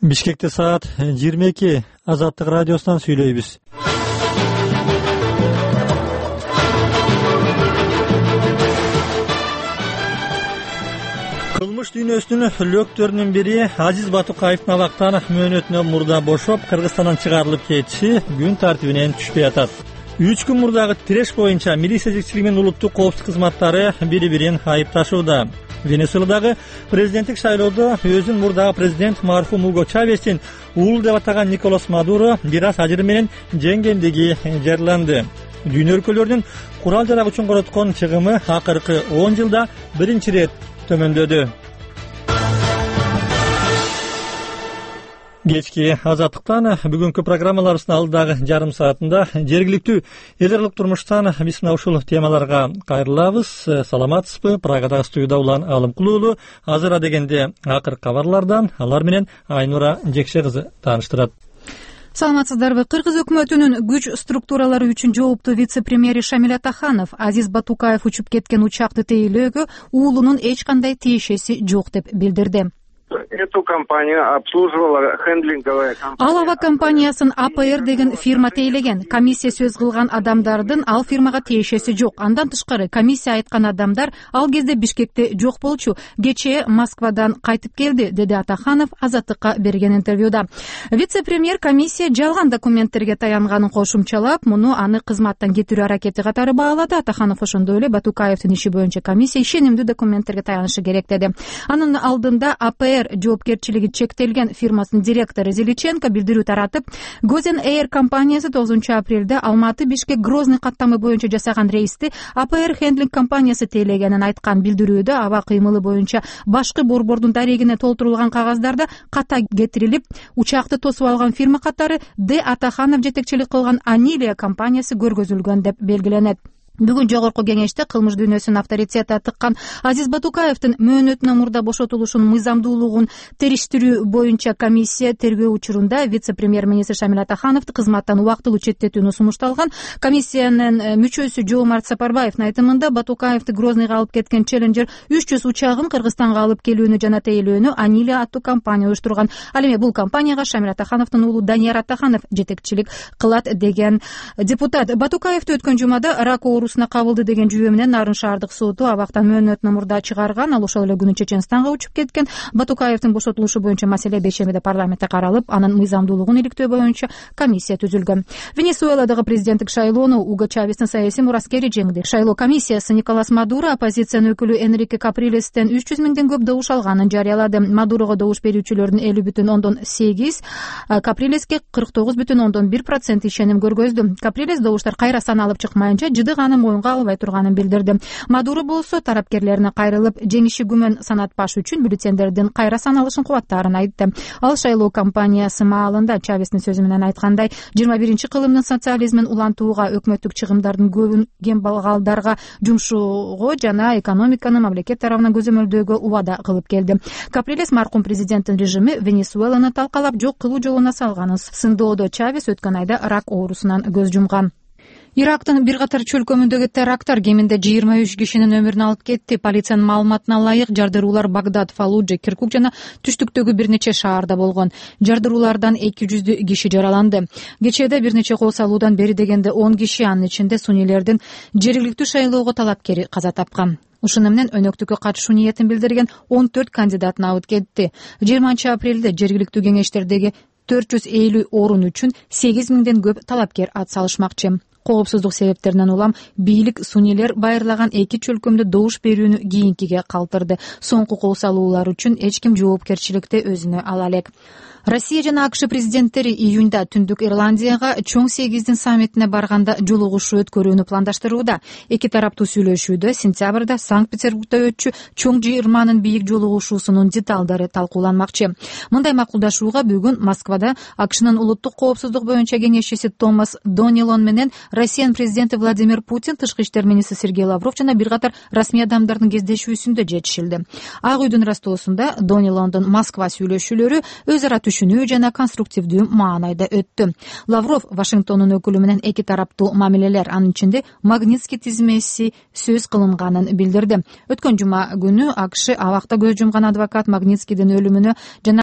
Бишкекте саат 22. Азаттык радиосунан сүйлөйбүз. Кылмыш дүйнөсүнүн лөктөрүнүн бири Азиз Батукаевдин абактан мөөнөтүнөн мурда бошоп, Кыргызстандан чыгарылып кетиши күн тартибинен түшпөй атат. 3 күн мурдагы тиреш боюнча милиция жетекчилиги менен улуттук коопсуздук кызматтары бири-бирин айыпташууда. Венесуэладагы президенттик шайлоодо өзүн мурдагы президент мархум Уго Чавестин уулу деп атаган Николас Мадуро бир аз ажыр менен жеңгендиги жарыяланды. Дүйнө өлкөлөрүнүн курал жарак үчүн короткон чыгымы акыркы 10 жылда биринчи ирет төмөндөдү. Кечки азаттыктан бүгүнкү программаларыбыздын алдагы жарым саатында жергиликтүү эл аралык турмуштан биз мына ушул темаларга кайрылабыз. Саламатсызбы? Прагадагы студияда улан Алым Кулуулу. Азыр адегенде акыркы кабарлардан алар менен Айнура Жекше кызы тааныштырат. Саламатсыздарбы? Кыргыз өкмөтүнүн күч структуралары үчүн жооптуу вице-премьери Шамиль Атаханов Азиз Батукаев учуп кеткен учакты тейлөөгө уулунун эч кандай тиешеси жок деп билдирди. Эту компанию обслуживала хендлинговая компания. Ал ава компаниясын АПР деген фирма тейлеген. Комиссия сөз кылган адамдардын ал фирмага тиешеси жок. Андан тышкары комиссия айткан адамдар ал кезде Бишкекте жок болчу. Кечээ Москвадан кайтып келди, деди Атаханов Азаттыкка берген интервьюда. Вице-премьер комиссия жалган документтерге таянганын кошумчалап, муну аны кызматтан кетирүү аракети катары баалады. Атаханов ошондой эле Батукаевдин иши боюнча комиссия ишенимдүү документтерге таянышы керек деди. Анын алдында АПР жоопкерчилиги чектелген фирмасынын директору Зеличенко билдирүү таратып, Гозен Эйр компаниясы 9 апрелде Алматы Бишкек Грозный каттамы боюнча жасаган рейсти АПР хендлинг компаниясы тейлегенин айткан. Билдирүүдө аба кыймылы боюнча башкы борбордун дарегине толтурулган кагаздарда ката кетирилип, учакты тосуп алган фирма катары Д. Атаханов жетекчилик кылган Анилия компаниясы көргөзүлгөн деп белгиленет. Бүгүн жогорку кеңеште кылмыш дүйнөсүнүн авторитети тыккан Азиз Батукаевдин мөөнөтүнөн мурда бошотулушунун мыйзамдуулугун териштирүү боюнча комиссия тергөө учурунда вице-премьер-министр Шамиль Атахановду кызматтан убактылуу четтетүүнү сунушталган. Комиссиянын мүчөсү Жоомарт Сапарбаевдин айтымында Батукаевди Грозныйга алып кеткен Челленджер 300 учагын Кыргызстанга алып келүүнү жана тейлөөнү Анилия аттуу компания уюштурган. Ал эми бул компанияга Шамиль Атахановдун уулу Данияр Атаханов жетекчилик кылат деген депутат. Батукаевди өткөн жумада рак кабылды деген жүйө менен Нарын шаардык соту абактан мөөнөтүнөн мурда чыгарган. Ал ошол эле күнү Чеченстанга учуп кеткен. Батукаевдин бошотулушу боюнча маселе бейшембиде парламентте каралып, анын мыйзамдуулугун иликтөө боюнча комиссия түзүлгөн. Венесуэладагы президенттик шайлоону Уго Чавестин саясий мураскери жеңди. Шайлоо комиссиясы Николас Мадуро оппозициянын өкүлү Энрике Каприлестен 300 миңден көп добуш алганын жарыялады. Мадурого добуш берүүчүлөрдүн 50,8, Каприлеске 49,1% ишеним көргөздү. Каприлес добуштар кайра саналып чыкмайынча жыдыганы моюнга албай турганын билдирди. Мадуро болсо тараптерлерине кайрылып, жеңиши күмөн санатпаш үчүн бюллетендердин кайра саналышын кубаттаарын айтты. Ал шайлоо кампаниясы маалында Чавестин сөзү менен айткандай, 21-кылымдын социализмин улантууга, өкмөттүк чыгымдардын көбүн кембагалдарга жумшоого жана экономиканы мамлекет тарабынан көзөмөлдөөгө убада кылып келди. Каприлес маркум президенттин режими Венесуэланы талкалап жок кылуу жолуна салганын сындоодо. Чавес өткөн айда рак оорусунан көз жумган. Ирактын бир катар чөлкөмүндөгү теракттар кеминде 23 кишинин өмүрүн алып кетти. Полициянын маалыматына ылайык, жардыруулар Багдад, Фаллужа, Киркук жана түштүктөгү бир нече шаарда болгон. Жардыруулардан 200 киши жараланды. Кечээде бир нече кол салуудан бери дегенде 10 киши, анын ичинде сунилердин жергиликтүү шайлоого талапкери каза тапкан. Ушуну менен өнөктүккө катышуу ниетин билдирген 14 кандидат набыт кетти. 20 апрелде жергиликтүү кеңештердеги 450 орун үчүн 8 миңден көп талапкер ат салышмакчы. Коопсуздук себептеринен улам бийлик сунилер байырлаган 2 чөлкөмдө добуш берүүнү кийинкиге калтырды. Соңку кол салуулар үчүн эч ким жоопкерчиликти өзүнө ала элек. Россия жана АКШ президенттери июнда Түндүк Ирландияга чоң 8-дин саммитине барганда жолугушуу өткөрүүнү пландаштырууда. Эки тараптуу сүйлөшүүдө сентябрда Санкт-Петербургда өтчү чоң жыйырманын бийик жолугушуусунун деталдары талкууланмакчы. Мындай макулдашууга бүгүн Москвада АКШнын улуттук коопсуздук боюнча кеңешчиси Томас Донилон менен Россиянын президенти Владимир Путин, тышкы иштер министри Сергей Лавров жана бир катар расмий адамдардын кездешүүсүндө жетишилди. Ак үйдүн растоосунда Донилондун Москва сүйлөшүүлөрү өз ара түшүнүү жана конструктивдүү маанайда өттү. Лавров Вашингтондун өкүлү менен эки тараптуу мамилелер, анын ичинде Магнитский тизмеси сөз кылынганын билдирди. Өткөн жума күнү АКШ абакта көз жумган адвокат Магнитскийдин өлүмүнө жана